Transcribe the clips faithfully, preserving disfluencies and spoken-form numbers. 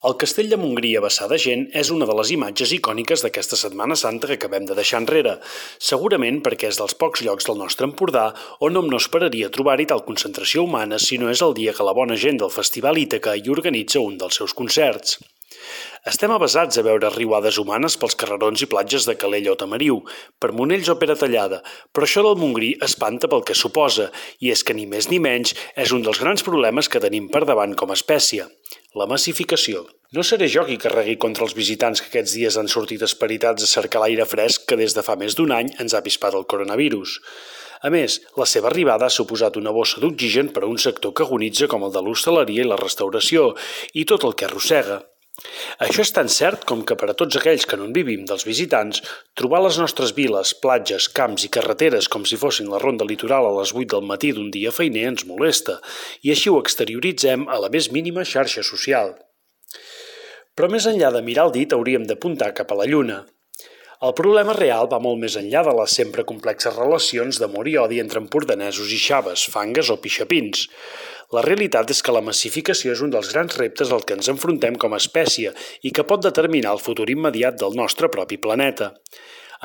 El Castell de Montgrí a vessar de gent és una de les imatges icòniques d'aquesta Setmana Santa que acabem de deixar enrere, segurament perquè és dels pocs llocs del nostre Empordà on hom no esperaria trobar-hi tal concentració humana si no és el dia que la bona gent del Festival Ítaca hi organitza un dels seus concerts. Estem avesats a veure riuades humanes pels carrerons i platges de Calella o Tamariu, per Monells o Peratallada, però això del Montgrí espanta pel que suposa, i és que ni més ni menys és un dels grans problemes que tenim per davant com a espècie, la massificació. No seré jo qui carregui contra els visitants que aquests dies han sortit esperitats a cercar l'aire fresc que des de fa més d'un any ens ha avispat el coronavirus. A més, la seva arribada ha suposat una bossa d'oxigen per a un sector que agonitza com el de l'hostaleria i la restauració, i tot el que arrossega. Això és tan cert com que per a tots aquells que no en vivim dels visitants, trobar les nostres viles, platges, camps i carreteres com si fossin la ronda litoral a les vuit del matí d'un dia feiner ens molesta, i així ho exterioritzem a la més mínima xarxa social. Però més enllà de mirar el dit hauríem d'apuntar cap a la lluna. El problema real va molt més enllà de les sempre complexes relacions d'amor i odi entre empordanesos i xaves, fangues o pixapins. La realitat és que la massificació és un dels grans reptes al que ens enfrontem com a espècie i que pot determinar el futur immediat del nostre propi planeta.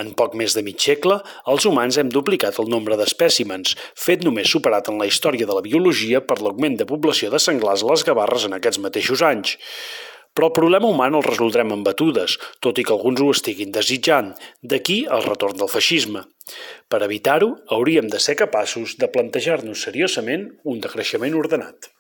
En poc més de mig segle, els humans hem duplicat el nombre d'espècimens, fet només superat en la història de la biologia per l'augment de població de senglars a les Gavarres en aquests mateixos anys. Però el problema humà no el resoldrem amb batudes, tot i que alguns ho estiguin desitjant, d'aquí el retorn del feixisme. Per evitar-ho, hauríem de ser capaços de plantejar-nos seriosament un decreixement ordenat.